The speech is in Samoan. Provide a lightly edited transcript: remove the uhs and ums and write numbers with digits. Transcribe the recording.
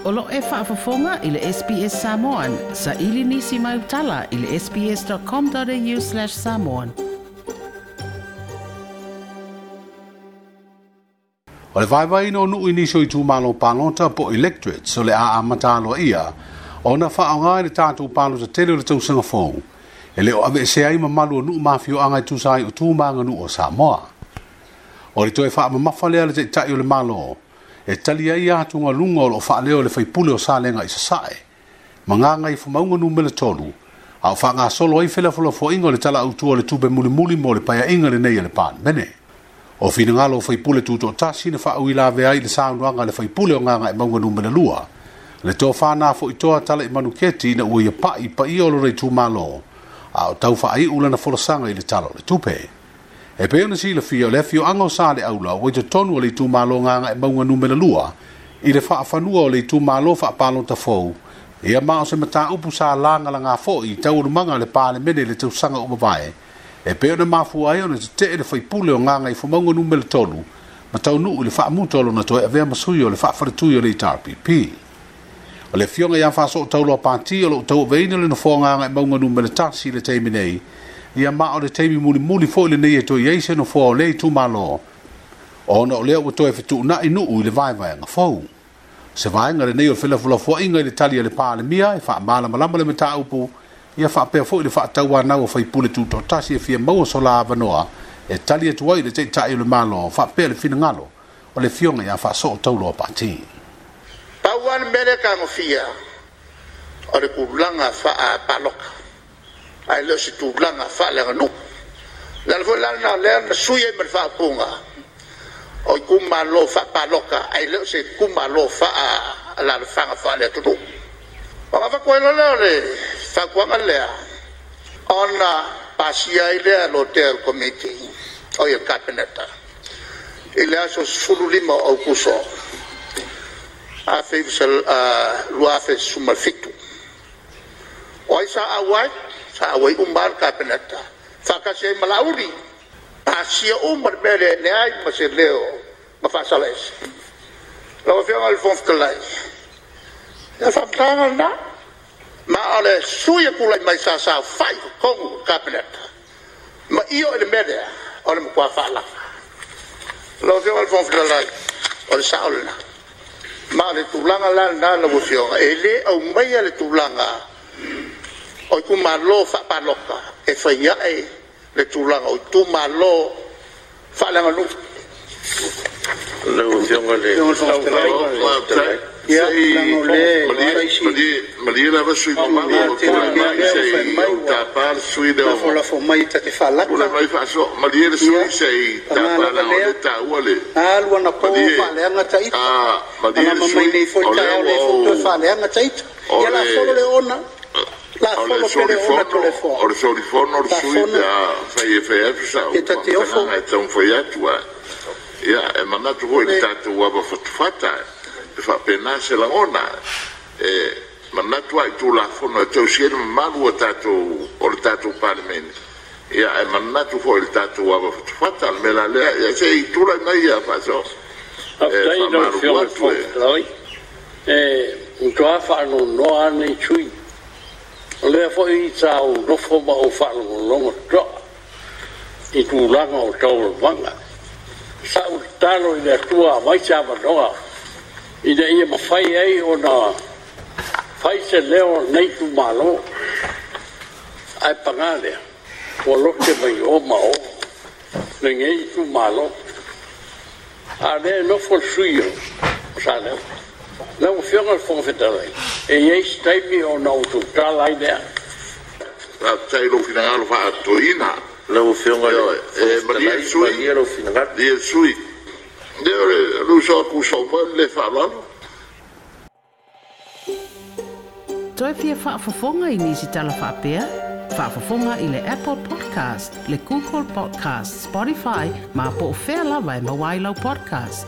O lo o e faafofoga i le SBS Samoan, saili nisi mau tala i le sbs.com.au/samoan. O le vaevaeina o nuu i nisi o itumalo palota po o electorates o le a amata aloaia ona faaaoga i le tatou palota tele o le tausaga fou e le o aveesea ai mamalu o nuu ma afioaga e tusa ai o tu ma aganuu o Samoa. O le toe faamamafa lea a le Taitai o le Malo e tali ai atugaluga o lo o faaleo e le faipule o Salega i Sasae ma Gagaifomauga Numera 3, a o faagasolo ai felafolafoaiga o le Tala Autu o le Tupe mulimuli mo le Paeaiga lenei a le Palemene. O finagalo o faipule tutoatasi na faauilavea ai i le saunoaga a le faipule o Gagaemauga Numera 2, le Tofa Nafoitoa Talaimanuketi ina ua ia pai i paia o lona itumalo, a o tau faaiu lana folasaga i le Tala o le Tupe. E pei ona silafia, o le afioaga o Saleaula ua i totonu o le itumalo Gagaemauga Numera 2 i le faafanua o le itumalo faapalota fou, ia ma o se mataupu sa lagalaga foi i taualumaga a le Palemene i le tausaga ua mavae, e pei ona mafua ai ona tetee le faipule o Gagaifomauga Numera 3 ma taunuu i le faamuta o lona toe avea ma sui o le faafaletui o le HRPP. O le afioga ia Faasootauloa Pati o lo o tauaveina le nofoa Gagaemauga Numera 1 i le taimi nei, ia ma o le taimi mulimuli foi lenei e toe i ai se nofoa o lea itumalo, ona o lea ua toe fetuunai nuu i le vaevaega fou. Se vaega lenei o le felafolafoaiga i le tali a le Palemia e faamalamalama le mataupu, ia faapea foi le faatauanau o faipule tutoatasi e fia maua so la avanoa e tali atu ai i le Taitai o le Malo faapea le finagalo o le afioga ia Faasootauloa Pati. Pau lava le mea lea e tagofia o le tulaga faapaloka, ae le o se tulaga faaleaganuu. O le ala foi la lena o lea na sui ai ma le faaupuga o itumalo faapaloka, ae le o se itumalo faaalaalafaga faale-atunuu. Ona avatu ai loa lea o le fautuaga lea, ona pasia ai lea e lotea e le Komiti, oi le Kapeneta i le aso 15 o Aokuso 2017. O ai sa auai? Sa auai uma lava le Kapeneta faatasi ai ma Laauli, pasia uma le mea lea, e leai ma se leo na faasala ese. Lau Afioga i le Fofoga Fetalai, ia o le faamatalaga lena. Ma o le sui e tulai mai sa saofai i totonu o le Kapeneta ma io i le mea lea, o le matua faalala. Lau Afioga i le Fofoga Fetalai, o le sao lena. Ma o le tulaga la lena lau Afioga, e le aumaia le tulaga o itumalo faapalota e fai ae le tulaga o itumalo faaleaganuu. Lau Afioga i le Fofoga Malie lava sui usufono mamalu o tulai mai se i ou tapa le sui usufono lea. Lafolafo mai ta te Tulai faalata. mai Faasoa. Malie le sui Ia, usufono se i paga tapa lava leaga o lea, lea e taua le... na alu anapo o Malie, faaleaga taita. malie le Malama mai sui nei foi usufono, le o lea taeao, o ua lea foi ua toe ou... faaleaga taita. O Ia le lafono le oona, o le lafono pea le oona solifono, Toleafoa. o le solifono le sui Lafono pe a fai e fai atu sau ia ta te ofo. faamatalaga e taumafai atu ae. Ia, e manatu foi i le Le tatou ava fatufata, e faapena se lagona. E manatu lava i Tulafono e tausia ai le mamalu o tatou o le tatou Palemene, ia ae manatu foi i le tatou ava fatufata. O le mea la lea, ia se i tulai mai ia Faasoa. E Faafetai i lau faamalulu Afioga i le atu Fofoga e Fetalai. E matua faanoanoa lava lenei sui usufono. O lea foi sa ou nofo ma ou faalogologo totoa i tulaga o taualumaga. Sa ou tatalo i le Atua aumai se avanoa ina ia mafai ai ona fai se leo o lenei itumalo. Ae paga lea, ua lote mai o ma o lenei itumalo. A o lea e nofo le sui usufono o Salega. Lau Afioga i le Fofoga Fetalai, e i ai se taimi ona ou tautala ai lea. faafetai i lou finagalo faatoeaina. Lau Afioga i le Ioe, Fofoga e malie le Fetalai, sui malie usufono, lou finagalo. malie le sui usufono. Lea o le uso a Tuisau mai le faaaloalo. Toe fia faafofoga i nisi tala faapea? Faafofoga i le Apple Podcast, le Google Podcast, Spotify, ma po o fea lava e maua ai lau podcast.